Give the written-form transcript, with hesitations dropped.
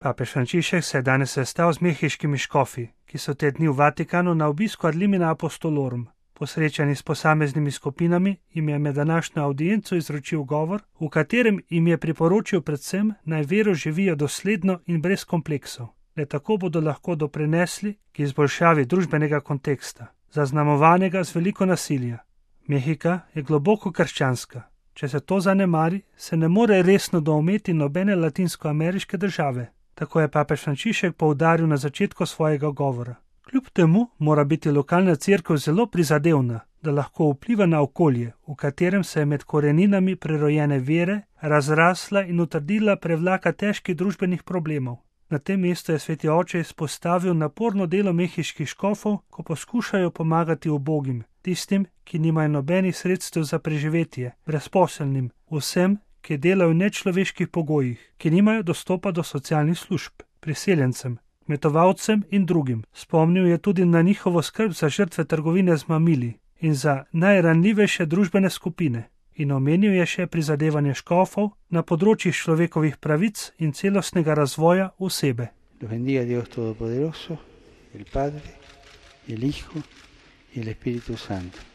Papež Frančišek se je danes sestal z mehiškimi škofi, ki so te dni v Vatikanu na obisku ad limina apostolorum. Po srečanju s posameznimi skupinami jim je med današnjo audienco izročil govor, v katerem jim je priporočil predvsem, naj vero živijo dosledno in brez kompleksov. Le tako bodo lahko doprinesli k izboljšavi družbenega konteksta, zaznamovanega z veliko nasilja. Mehika je globoko krščanska. Če se to zanemari, se ne more resno doumeti nobene latinskoameriške države. Tako je papež Frančišek poudaril na začetku svojega govora. Kljub temu mora biti lokalna cerkev zelo prizadevna, da lahko vpliva na okolje, v katerem se je med koreninami prerojene vere razrasla in utrdila prevlaka težkih družbenih problemov. Na tem mestu je sveti oče izpostavil naporno delo mehiških škofov, ko poskušajo pomagati ubogim, tistim, ki nimajo nobenih sredstev za preživetje, brezposelnim, vsem, ki delajo v nečloveških pogojih, ki nimajo dostopa do socialnih služb, priseljencem, kmetovalcem in drugim. Spomnil je tudi na njihovo skrb za žrtve trgovine z mamili in za najranljivejše družbene skupine. In omenil je še prizadevanje škofov na področjih človekovih pravic in celostnega razvoja osebe. Los bendiga Dios Todopoderoso, el Padre, el Hijo y el Espíritu Santo.